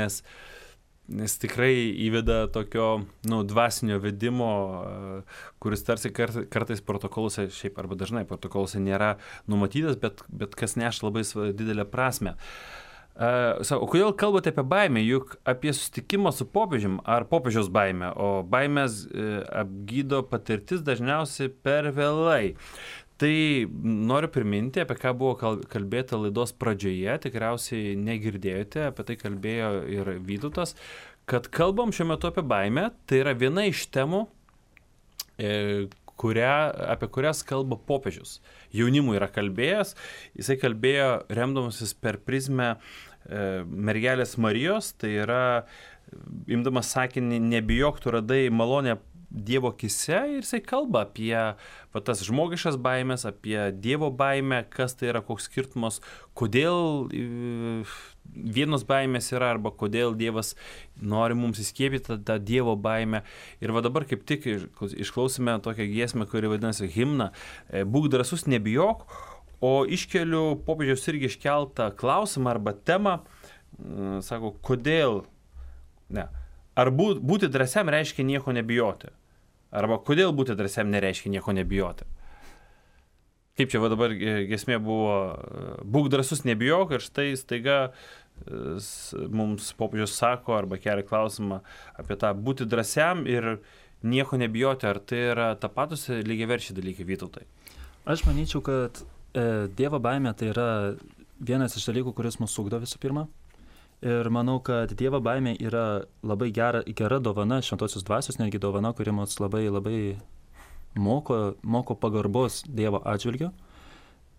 nes tikrai įveda tokio, dvasinio vedimo, kuris tarsi kartais protokoluose, šiaip arba dažnai protokoluose nėra numatytas, bet kas neša labai didelę prasmę. O kodėl kalbate apie baimę, juk apie susitikimą su popiežium ar popiežiaus baimę, o baimės apgydo patirtis dažniausiai per vėlai. Tai noriu priminti, apie ką buvo kalbėta laidos pradžioje, tikriausiai negirdėjote, apie tai kalbėjo ir Vytautas, kad kalbam šiuo metu apie baimę, tai yra viena iš temų, apie kurias kalba popiežius. Jaunimui yra kalbėjęs, jisai kalbėjo remdamasis per prizmę mergelės Marijos, tai yra imdamas sakinį, nebijok, tu radai malonę Dievo akise ir jisai kalba apie tas žmogiškas baimės, apie Dievo baimę, kas tai yra, koks skirtumas, kodėl vienos baimės yra arba kodėl Dievas nori mums įskiepyti tą Dievo baimę. Ir va dabar kaip tik išklausime tokią giesmę, kuri vadinasi himną, būk drąsus, nebijok, o iškeliu popiežiaus irgi iškeltą klausimą arba temą, sako, kodėl, ar būti drąsiam reiškia nieko nebijoti? Arba kodėl būti drąsiam nereiškia nieko nebijoti? Kaip čia va dabar giesmė buvo, būk drąsus, nebijok, ir štai staiga mums popiežius sako arba kelia klausimą apie tą būti drąsiam ir nieko nebijoti. Ar tai yra tapatus lygiaverčiai dalykai, Vytautai? Aš manyčiau, kad Dievo baimė tai yra vienas iš dalykų, kuris mus ugdo visų pirma. Ir manau, kad Dievo baimė yra labai gera dovana, šventosios dvasios netgi dovana, kuri mus labai moko pagarbos Dievo atžvilgiu.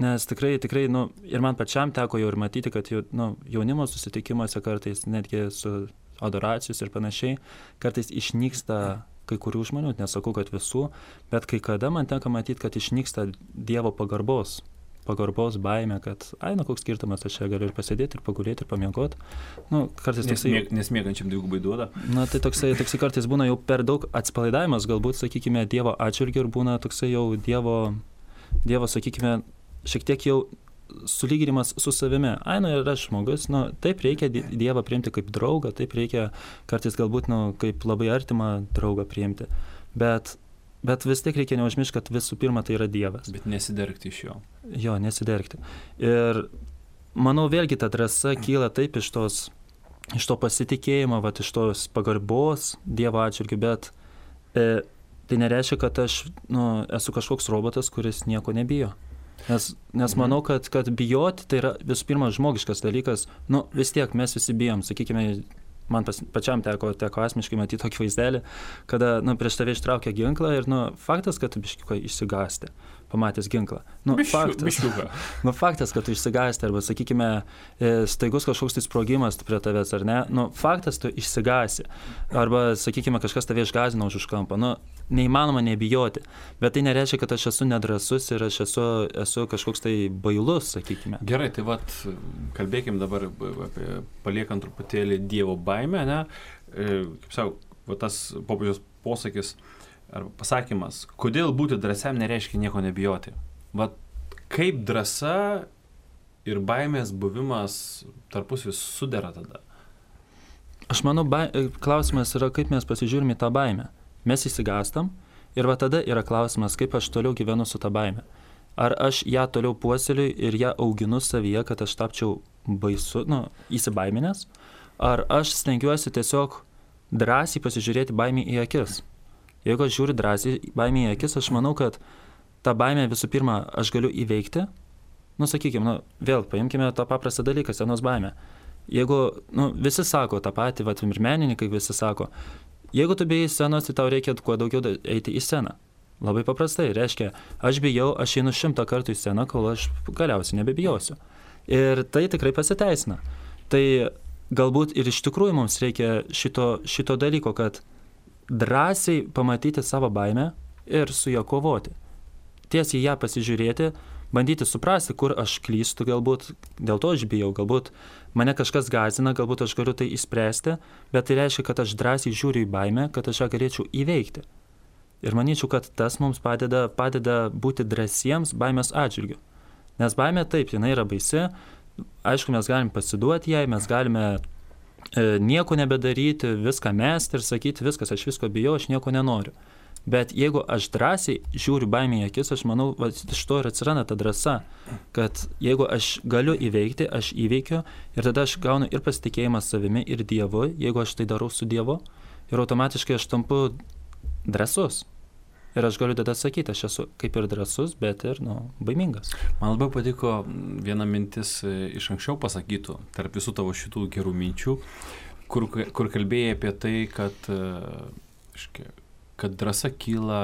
Nes tikrai, ir man pačiam teko jau ir matyti, kad jaunimo susitikimuose kartais netgi su adoracijos ir panašiai, kartais išnyksta kai kurių žmonių, nesakau, kad visų, bet kai kada man tenka matyti, kad išnyksta Dievo pagarbos baimė, kad, koks skirtumas, aš čia galiu ir pasėdėti, ir pagulėti, ir pamiegoti. Kartais toksai... Nes miegančiam dvigubai duoda. Tai toksai kartais būna jau per daug atsipalaidavimas, galbūt, sakykime, Dievo atžvilgiu, ir būna toksai jau Dievo, sakykime, šiek tiek jau sulyginimas su savimi. Ir aš žmogus, taip reikia Dievą priimti kaip draugą, taip reikia kartais galbūt, kaip labai artimą draugą priimti. Bet vis tiek reikia neužmiršti, kad visų pirma tai yra Dievas. Bet nesidergti iš jo. Jo, nesidergti. Ir manau, vėlgi ta drąsa kyla taip iš to pasitikėjimo, iš tos pagarbos Dievo atžvilgiu, bet tai nereiškia, kad aš esu kažkoks robotas, kuris nieko nebijo. Nes manau, kad bijoti tai yra visų pirma žmogiškas dalykas. Vis tiek mes visi bijom, sakykime, man pačiam teko asmeniškai matyti tokį vaizdelį, kada prieš tave ištraukia ginklą ir faktas, kad tu biškiuką išsigąsti, pamatęs ginklą. Faktas, kad tu išsigąsti, arba, sakykime, staigus kažkoks tai sprogimas prie tavęs, ar ne, faktas, tu išsigąsi. Arba, sakykime, kažkas tave išgąsdino už kampo. Neįmanoma nebijoti, bet tai nereiškia, kad aš esu nedrąsus ir aš esu kažkoks tai bailus, sakykime. Gerai, tai kalbėkim dabar apie paliekant truputėlį Dievo baimę, ne? Kaip sako, tas popiežiaus posakis, arba pasakymas, kodėl būti drąsiam nereiškia nieko nebijoti. Vat kaip drąsa ir baimės buvimas tarpusavy sudera tada? Aš manau, klausimas yra, kaip mes pasižiūrime į tą baimę. Mes įsigastam ir va tada yra klausimas, kaip aš toliau gyvenu su tą baimę. Ar aš ją toliau puoseliu ir ją auginu savyje, kad aš tapčiau baisu, įsibaiminęs, ar aš stengiuosi tiesiog drąsiai pasižiūrėti baimį į akis. Jeigu aš žiūriu drąsiai baimį į akis, aš manau, kad tą baimę visų pirma aš galiu įveikti. Sakykime, vėl paimkime tą paprastą dalyką, scenos baimę. Jeigu, visi sako tą patį, ir menininkai visi sako, jeigu tu bijai scenos, tai tau reikia kuo daugiau eiti į sceną. Labai paprastai, reiškia, aš bijau, aš einu 100 kartų į sceną, kol aš galiausiai nebebijosiu. Ir tai tikrai pasiteisina. Tai galbūt ir iš tikrųjų mums reikia šito dalyko, kad drąsiai pamatyti savo baimę ir su ją kovoti. Tiesiai ją pasižiūrėti, bandyti suprasti, kur aš klystu, galbūt dėl to aš bijau, galbūt mane kažkas gąsdina, galbūt aš galiu tai išspręsti, bet tai reiškia, kad aš drąsiai žiūriu į baimę, kad aš ją galėčiau įveikti. Ir manyčiau, kad tas mums padeda būti drąsiems baimės atžvilgiu. Nes baimė taip, jinai yra baisi, aišku, mes galim pasiduoti jai, mes galime nieko nebedaryti, viską mesti ir sakyti, viskas, aš visko bijau, aš nieko nenoriu. Bet jeigu aš drąsiai žiūriu baimę į akis, aš manau, iš to ir atsiranda ta drąsa, kad jeigu aš galiu įveikti, aš įveikiu ir tada aš gaunu ir pasitikėjimą savimi, ir Dievu, jeigu aš tai darau su Dievu, ir automatiškai aš tampu drąsus. Ir aš galiu tada sakyti, aš esu kaip ir drąsus, bet ir, baimingas. Man labai patiko viena mintis iš anksčiau pasakytų, tarp visų tavo šitų gerų minčių, kur kalbėjai apie tai, kad drąsa kyla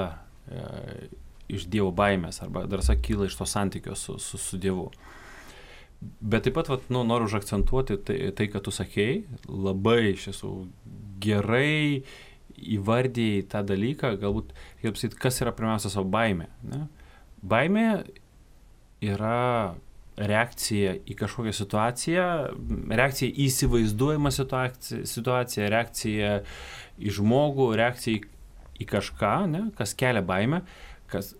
iš Dievo baimės, arba drąsa kyla iš to santykio su Dievu. Bet taip pat, noriu užakcentuoti tai, kad tu sakei, labai iš tiesų gerai įvardėjai tą dalyką, galbūt, kaip sakyti, kas yra pirmiausia savo baimė. Ne? Baimė yra reakcija į kažkokią situaciją, reakcija į įsivaizduojamą situaciją, reakcija į žmogų, reakcija į kažką, ne? Kas kelia baimę, kas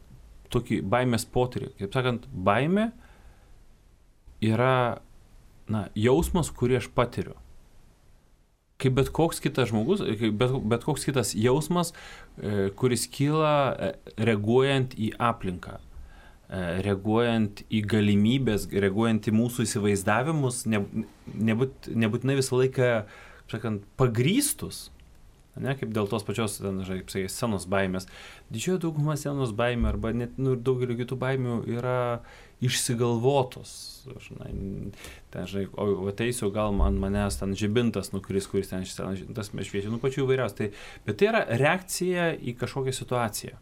tokį baimės potyrį. Kaip sakant, baimė yra jausmas, kurį aš patiriu. Kaip bet koks kitas žmogus, bet koks kitas jausmas, kuris kyla reaguojant į aplinką, reaguojant į galimybės, reaguojant į mūsų įsivaizdavimus, nebūtinai visą laiką, sakant, pagrįstus, ne, kaip dėl tos pačios scenos baimės. Didžioji dauguma scenos baimė arba net daugelio kitų baimių yra išsigalvotos. O ateisiu, gal manęs ten žibintas nukris, kuris ten tas šviečia, pačių įvairiausių. Bet tai yra reakcija į kažkokią situaciją.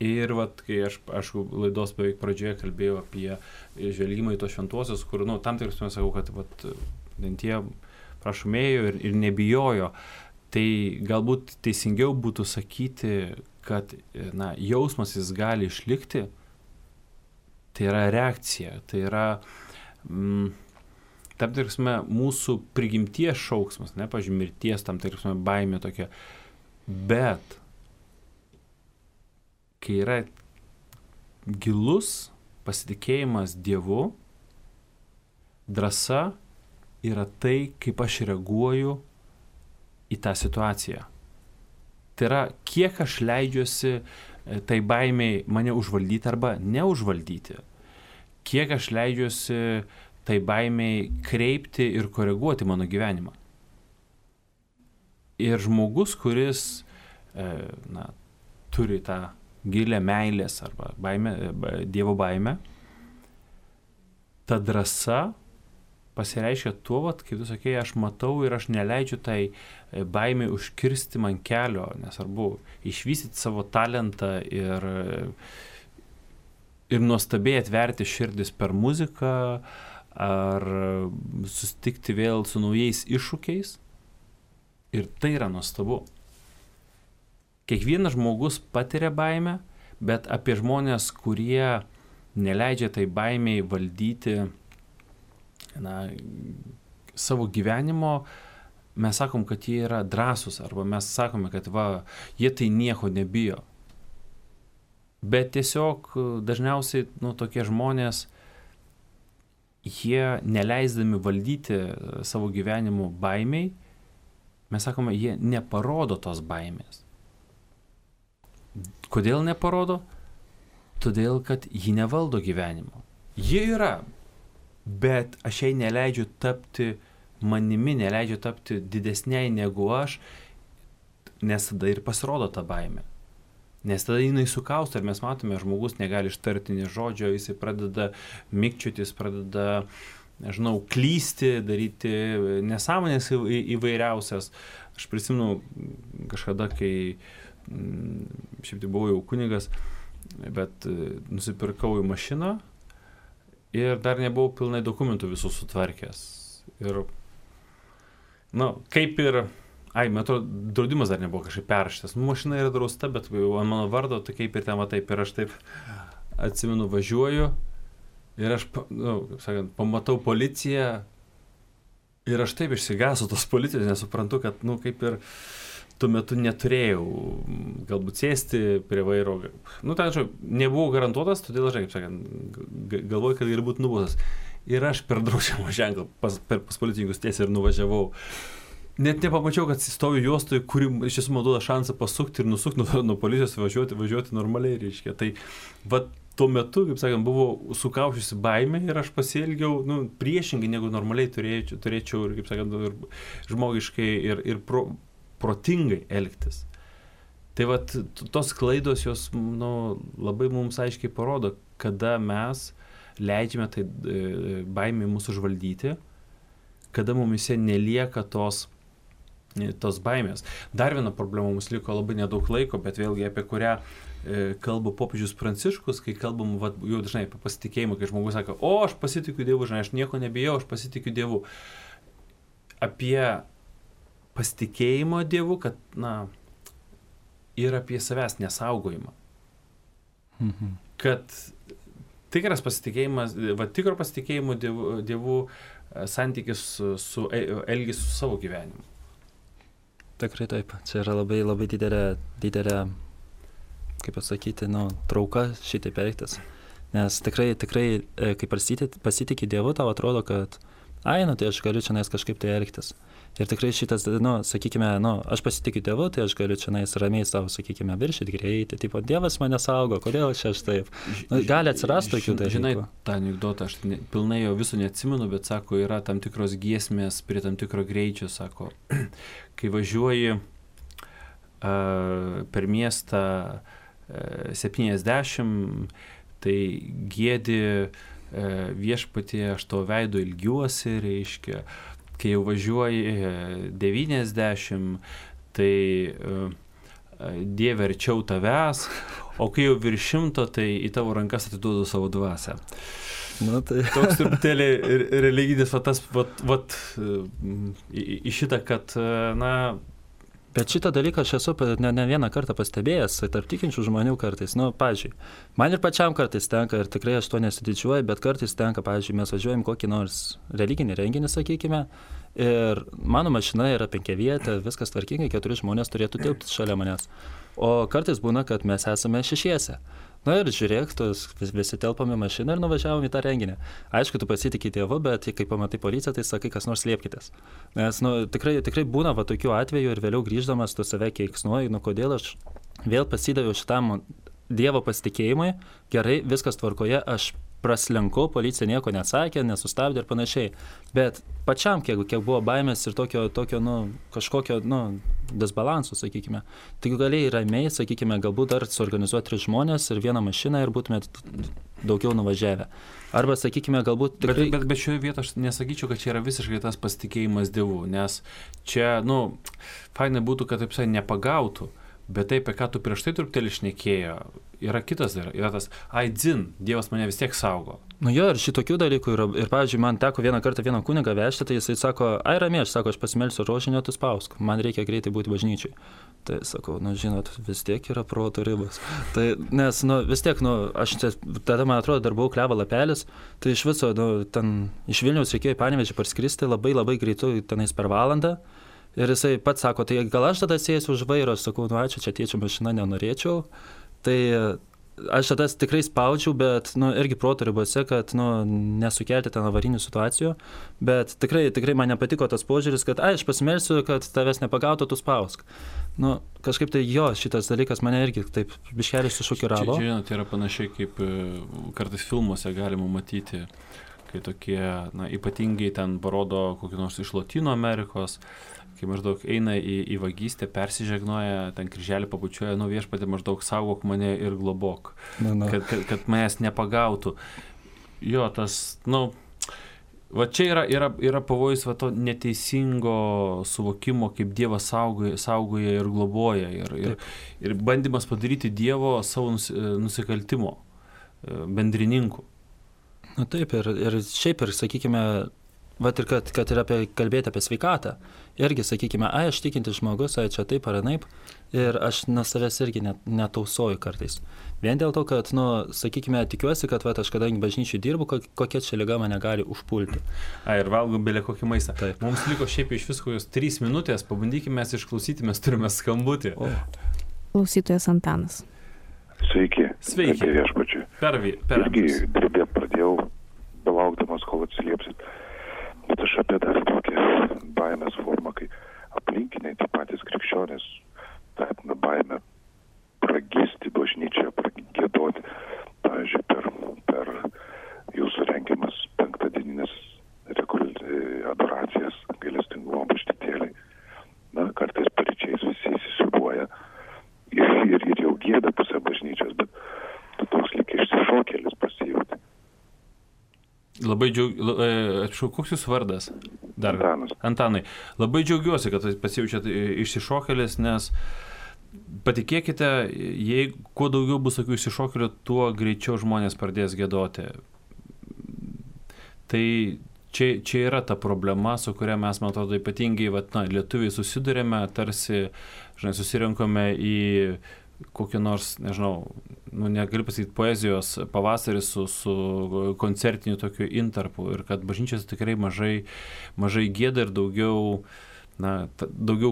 Ir kai aš laidos beveik pradžioje kalbėjau apie žvelgimą į tos šventuosius, kur, tam tikras mes sakau, kad tie prašomėjo ir nebijojo. Tai galbūt teisingiau būtų sakyti, kad jausmas jis gali išlikti. Tai yra reakcija, tai yra tam tikrasme mūsų prigimties šauksmas, ne, pavyzdžiui, mirties, tam tikrasme baimė tokia. Bet kai yra gilus pasitikėjimas Dievu, drąsa yra tai, kaip aš reaguoju į tą situaciją. Tai yra, kiek aš leidžiuosi tai baimiai mane užvaldyti arba neužvaldyti. Kiek aš leidžiuosi tai baimiai kreipti ir koreguoti mano gyvenimą. Ir žmogus, kuris turi tą gilę meilės arba Dievo baimę, ta drąsa pasireiškia tuo, kaip tu sakei, aš matau ir aš neleidžiu tai baimė užkirsti man kelio, nesvarbu išvystyti savo talentą ir nuostabiai atverti širdis per muziką ar susitikti vėl su naujais iššūkiais. Ir tai yra nuostabu. Kiekvienas žmogus patiria baimę, bet apie žmonės, kurie neleidžia tai baimiai valdyti savo gyvenimo, mes sakom, kad jie yra drąsūs, arba mes sakome, kad jie tai nieko nebijo. Bet tiesiog dažniausiai, tokie žmonės, jie neleisdami valdyti savo gyvenimo baimiai, mes sakome, jie neparodo tos baimės. Kodėl neparodo? Todėl, kad ji nevaldo gyvenimo. Jie yra, bet aš jai neleidžiu tapti manimi, neleidžiu tapti didesniai negu aš, nes tada ir pasirodo ta baimė. Nes tada jinai sukausta ir mes matome, žmogus negali ištarti nė žodžio, jisai pradeda mikčiutis, pradeda, klysti, daryti nesąmonės įvairiausias. Aš prisimenu kažkada, kai šiaip tai buvau jau kunigas, bet nusipirkau į mašiną ir dar nebuvau pilnai dokumentų visų sutvarkęs. Ir, kaip ir, metro draudimas dar nebuvo kažkaip perrašytas. Mašina yra drausta, bet ant mano vardo, tai kaip ir ten taip. Ir aš taip atsimenu, važiuoju ir aš, kaip sakant, pamatau policiją ir aš taip išsigąsiu tos policijos, nesuprantu, kad, kaip ir tuo metu neturėjau galbūt sėsti prie vairo. Nebuvau garantuotas, todėl aš, kaip sakant, galvoju, kad ir būtų nubaustas. Ir aš per draudžiamo ženklą pas policininkus tiesiai ir nuvažiavau. Net nepamačiau, kad stoviu juostoje, kuri iš tiesų man duoda šansą pasukti ir nusukti nuo policijos, važiuoti normaliai, reiškia. Tai tuo metu, kaip sakant, buvo sukaušiusi baimė ir aš pasielgiau priešingai, negu normaliai turėčiau ir, kaip sakant, ir žmogiškai ir protingai elgtis. Tai tos klaidos jos labai mums aiškiai parodo, kada mes leidžiame tai baimė mūsų užvaldyti, kada mumise nelieka tos baimės. Dar viena problema, mums liko labai nedaug laiko, bet vėlgi apie kurią kalba popiežius Pranciškus, kai kalbam jau dažnai apie pasitikėjimą, kai žmogus sako, aš pasitikiu Dievu, aš nieko nebijau, aš pasitikiu Dievu. Apie pasitikėjimo Dievu, kad, ir apie savęs nesaugojimą. Kad tikras pasitikėjimas, tikro pasitikėjimo Dievu santykis elgis su savo gyvenimu. Tikrai taip. Čia yra labai, labai didelė, kaip pasakyti, trauka šitaip elgtis. Nes tikrai, kai pasitikė Dievu, tau atrodo, kad tai aš galiu čia kažkaip tai elgtis. Ir tikrai šitas, sakykime, aš pasitikiu Dievu, tai aš galiu čia ramiai savo, sakykime, viršyti greitį. Tipo, Dievas mane saugo, kodėl čia aš taip? Gali atsirasti tokių dalykų. Žinai, tą anekdotą, aš pilnai jo viso neatsimenu, bet sako, yra tam tikros giesmės prie tam tikro greičio, sako, kai važiuoji per miestą 70, tai giedi viešpatie, aš to veido ilgiuosi, reiškia. Kai jau važiuoji 90, tai Dieve arčiau tavęs, o kai jau virš 100, tai į tavo rankas atiduodu savo dvasią. Tai... Toks truputėlį religinis į šitą, kad, Bet šitą dalyką aš esu ne vieną kartą pastebėjęs, tarp tikinčių žmonių kartais. Pavyzdžiui, man ir pačiam kartais tenka, ir tikrai aš to nesididžiuoju, bet kartais tenka, pavyzdžiui, mes važiuojam kokį nors religinį renginį, sakykime, ir mano mašina yra 5vietė, viskas tvarkingai, 4 žmonės turėtų tilpti šalia manęs. O kartais būna, kad mes esame 6. Ir žiūrėk, visi telpame mašiną ir nuvažiavom į tą renginį. Aišku, tu pasitikė Dievu, bet kai pamatai policiją, tai sakai, kas nors liepkitės. Nes tikrai būna tokių atvejų ir vėliau grįždamas tu save keiksnuoji, kodėl aš vėl pasidaviau šitam Dievo pasitikėjimui, gerai, viskas tvarkoje, aš praslenkau, policija nieko neatsakė, nesustabdė ir panašiai. Bet pačiam, kiek buvo baimės ir tokio kažkokio, disbalansų, sakykime. Tai galėjai ramiai, sakykime, galbūt dar suorganizuoti 3 žmonės ir 1 mašiną ir būtumėt daugiau nuvažiavę. Arba, sakykime, galbūt tikrai... Bet šioje vietoje aš nesakyčiau, kad čia yra visiškai tas pasitikėjimas Dievu, nes čia, fainai būtų, kad taip nepagautų. Bet tai, apie ką tu prieš tai truputėlį šnekėjo, yra kitas, yra tas, Dievas mane vis tiek saugo. Ir šitokių dalykų yra. Ir, pavyzdžiui, man teko vieną kartą vieną kunigą vežti, tai jisai sako, ramiai, aš pasimelsiu rožinio, tu spausk, man reikia greitai būti bažnyčiai. Tai sakau, žinot, vis tiek yra proto ribos. Tai, nes, vis tiek, aš tada, man atrodo, dar buvau Klevo lapelis, tai iš viso, ten iš Vilniaus reikėjo į Panevėžį parskristi labai labai greitai, tenais per valandą. Ir jisai pats sako, tai gal aš tada sėsiu už vairo, aš sakau, ačiū, čia tėčio mašina nenorėčiau. Tai aš tada tikrai spaudžiau, bet irgi proto ribose, kad nesukelti ten avarinių situacijų. Bet tikrai man nepatiko tas požiūris, kad aš pasimelsiu, kad tavęs nepagautų, tu spausk. Kažkaip tai šitas dalykas mane irgi taip biškelį sušokiravo. Čia, žinot, yra panašiai kaip kartais filmuose galima matyti, kai tokie, ypatingai ten parodo kokį nors iš Lotynų Amerikos, kai maždaug eina į vagystę, persižegnoja, ten kryželį pabučiuoja, viešpatie maždaug saugok mane ir globok, kad manęs nepagautų. Jo, tas, va čia yra pavojus va to neteisingo suvokimo, kaip Dievas saugoja ir globoja ir bandymas padaryti Dievo savo nusikaltimo bendrininku. Taip, ir šiaip, sakykime, ir kad ir kalbėti apie sveikatą, irgi, sakykime, aš tikintis žmogus, čia taip ar anaip, ir aš nuo savęs irgi netausoju kartais. Vien dėl to, kad, sakykime, tikiuosi, kad aš kadangi bažnyčiai dirbu, kokia čia liga mane gali užpulti. Ir valgom belė kokį maistą. Taip. Mums liko šiaip iš visko 3 minutės, pabandykime mes išklausyti, mes turime skambutį. Klausytojas Antanas. Sveiki. Sveiki. Viešpačiui. Per irgi dirbėt pradėjau, belaukdamas, kol atsiliepsit. Bet aš apie dar tokią baimės formą, kai aplinkiniai, tie patys krikščionys, tapina baimę pragisti bažnyčią, pragiedoti. Pavyzdžiui, per jūsų rengiamas 5-dienines adoracijas, gailestingumo bažnytėliai. Kartais paryčiais visi įsisiubuoja ir jau gieda pusę bažnyčios, bet tu toks lyg išsišokėlis pasijauti. Labai džiaugiuosi, koks jūsų vardas? Antanas. Antanai, labai džiaugiuosi, kad pasijaučiat išsišokėlis, nes patikėkite, jei kuo daugiau bus tokių išsišokėlių, tuo greičiau žmonės pradės giedoti. Tai čia yra ta problema, su kuria mes, man atrodo, ypatingai lietuviai susidurėme, tarsi, susirinkome į kokį nors, nežinau, negaliu pasakyti, poezijos pavasarį su koncertiniu tokiu intarpu ir kad bažnyčios tikrai mažai gieda ir daugiau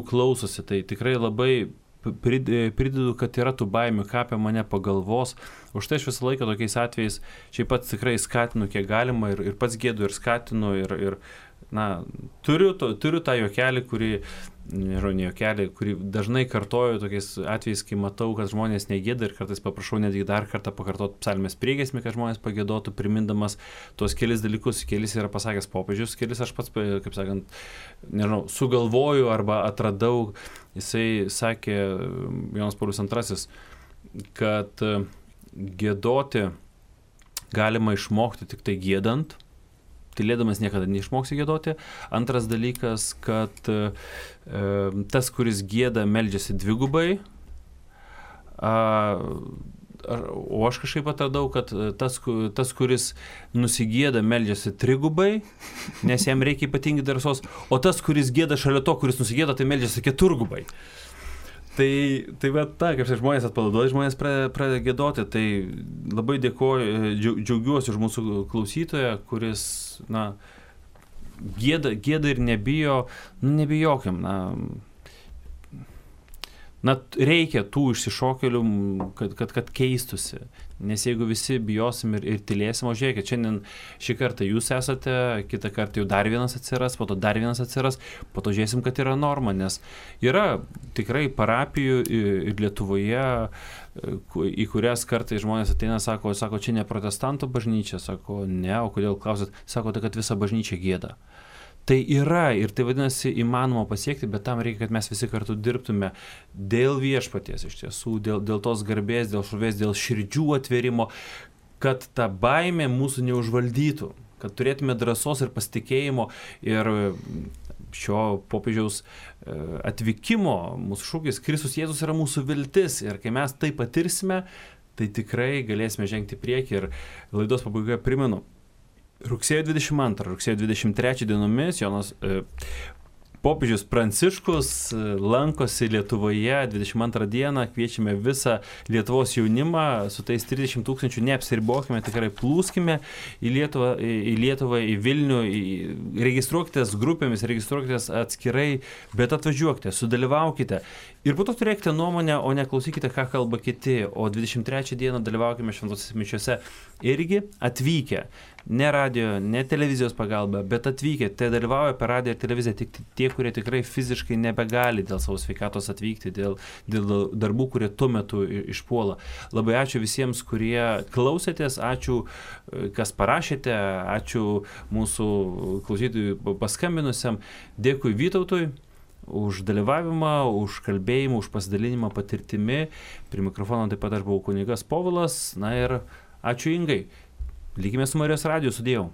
klausosi. Tai tikrai labai pridedu, kad yra tų baimių, ką apie mane pagalvos. Už tai aš visą laiką tokiais atvejais šiaip pats tikrai skatinu, kiek galima ir pats gėdu ir skatinu ir turiu tą juokelį, kurį dažnai kartoju tokiais atvejais, kai matau, kad žmonės negėda ir kartais paprašau netgi dar kartą pakartoti psalmės priegiesmį, kad žmonės pagėdotų, primindamas tuos kelis dalykus. Kelis yra pasakęs popiežius, kelis aš pats, kaip sakant, sugalvoju arba atradau. Jisai sakė, Jonas Paulius II, kad gėdoti galima išmokti tik tai gėdant. Tylėdamas niekada neišmoksi giedoti. Antras dalykas, kad tas, kuris gieda, meldžiasi dvigubai. O aš kažkaip atradau, kad tas kuris nusigieda, meldžiasi trigubai, nes jam reikia ypatingai drąsos. O tas, kuris gieda šalia to, kuris nusigieda, tai meldžiasi keturgubai. Tai kaip žmonės atpalaiduoja, žmonės pradeda giedoti, tai labai dėkoju, džiaugiuosi už mūsų klausytoją, kuris, gieda ir nebijo, nebijokim, reikia tų išsišokėlių, kad keistusi, nes jeigu visi bijosim ir tylėsim, o žiūrėkit, šiandien šį kartą jūs esate, kitą kartą jau dar vienas atsiras, po to dar vienas atsiras, po to žiūrėsim, kad yra norma, nes yra tikrai parapijų ir Lietuvoje, į kurias kartais žmonės ateina, sako, čia ne protestantų bažnyčia, sako, ne, o kodėl klausėt, sako, tai kad visa bažnyčia gieda. Tai yra ir tai vadinasi įmanoma pasiekti, bet tam reikia, kad mes visi kartu dirbtume dėl viešpaties iš tiesų, dėl tos garbės, dėl šlovės, dėl širdžių atvėrimo, kad ta baimė mūsų neužvaldytų, kad turėtume drąsos ir pasitikėjimo ir šio popiežiaus atvykimo mūsų šūkis Kristus Jėzus yra mūsų viltis ir kai mes tai patirsime, tai tikrai galėsime žengti priekį ir laidos pabaigoje primenu. Rugsėjo 22, rugsėjo 23 dienomis Jonas Popiežius Pranciškus lankosi Lietuvoje 22 dieną, kviečiame visą Lietuvos jaunimą, su tais 30 000 neapsiribokime, tikrai plūskime į Lietuvą, į Vilnių, registruokitės grupėmis, registruokitės atskirai, bet atvažiuokite, sudalyvaukite ir po to turėkite nuomonę, o neklausykite, ką kalba kiti, o 23 dieną dalyvaukime šventosiose mišiose irgi atvykę. Ne radio, ne televizijos pagalba, bet atvykę, tai dalyvauja per radiją ir televiziją tik tie, kurie tikrai fiziškai nebegali dėl savo sveikatos atvykti, dėl darbų, kurie tuo metu išpuola. Labai ačiū visiems, kurie klausėtės, ačiū, kas parašėte, ačiū mūsų klausytojui paskambinusiam, dėkui Vytautui už dalyvavimą, už kalbėjimą, už pasidalinimą patirtimi. Prie mikrofono taip pat aš buvau kunigas Povilas, na ir ačiū Ingai. Likime su Marijos radiju, sudėjau.